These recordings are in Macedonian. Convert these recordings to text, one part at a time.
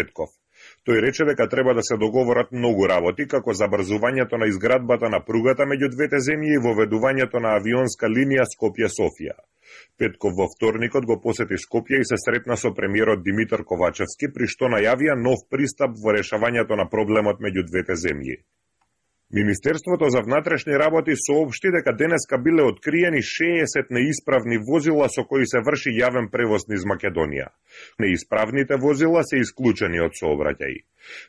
Петков. Тој рече дека треба да се договорат многу работи, како забрзувањето на изградбата на пругата меѓу двете земји и воведувањето на авионска линија Скопје-Софија. Петков во вторникот го посети Скопје и се сретна со премиерот Димитар Ковачевски, при што најавија нов пристап во решавањето на проблемот меѓу двете земји. Министерството за внатрешни работи соопшти дека денеска биле откриени 60 неисправни возила со кои се врши јавен превоз низ Македонија. Неисправните возила се исклучени од сообраќај.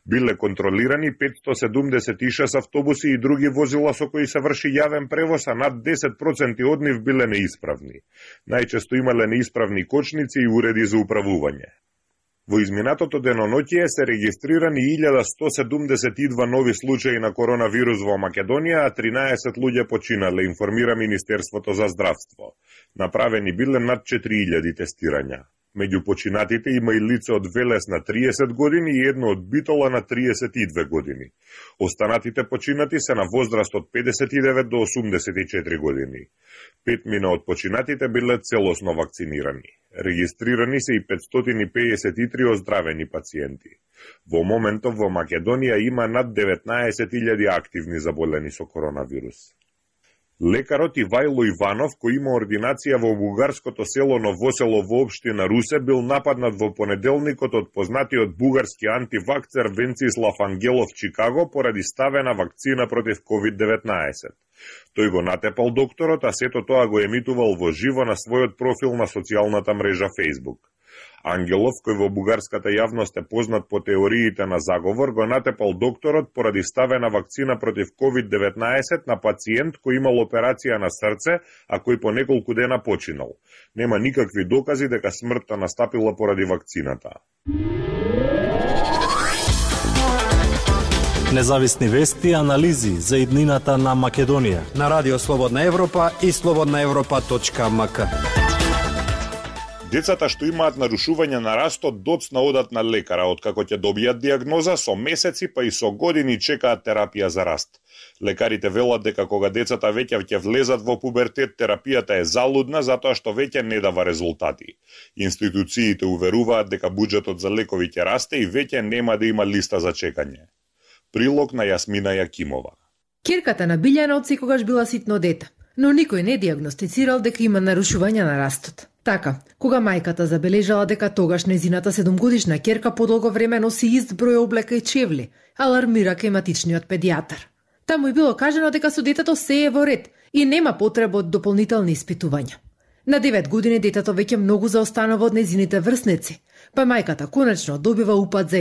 Биле контролирани 576 автобуси и други возила со кои се врши јавен превоз, а над 10% од нив биле неисправни. Најчесто имале неисправни кочници и уреди за управување. Во изминатото деноноќие се регистрирани 1172 нови случаи на коронавирус во Македонија, а 13 луѓе починале, информира Министерството за здравство. Направени биле над 4000 тестирања. Меѓу починатите има и лице од Велес на 30 години и едно од Битола на 32 години. Останатите починати се на возраст од 59 до 84 години. 5 од починатите биле целосно вакцинирани. Регистрирани се и 553 оздравени пациенти. Во моментов во Македонија има над 19.000 активни заболени со коронавирус. Лекарот Ивајло Иванов, кој има ординација во бугарското село Новосело во општина Русе, бил нападнат во понеделникот од познатиот бугарски антивакцер Венцислав Ангелов Чикаго поради ставена вакцина против COVID-19. Тој го натепал докторот, а сето тоа го емитувал во живо на својот профил на социјалната мрежа Facebook. Ангелов, кој во бугарската јавност е познат по теориите на заговор, го натепал докторот поради ставена вакцина против COVID-19 на пациент кој имал операција на срце, а кој по неколку дена починал. Нема никакви докази дека смртта настапила поради вакцината. Независни вести и анализи за иднината на Македонија на Радио Слободна Европа и slobodnaevropa.mk. Децата што имаат нарушување на растот доцна одат на лекара, откако ќе добијат диагноза, со месеци па и со години чекаат терапија за раст. Лекарите велат дека кога децата веќе ќе влезат во пубертет, терапијата е залудна затоа што веќе не дава резултати. Институциите уверуваат дека буџетот за лекови ќе расте и веќе нема да има листа за чекање. Прилог на Јасмина Јакимова. Ќерката на Билјана од секогаш била ситно дете, но никој не диагностицирал дека има нарушување на растот. Така, кога мајката забележала дека тогаш незината 7-годишна ќерка подолго време носи ист број облека и чевли, алармира климатичниот педијатар. Таму и било кажано дека со детето се е во ред и нема потреба од дополнителни испитувања. На 9 години детето веќе многу заостанува од незините врсници, па мајката конечно добива упат за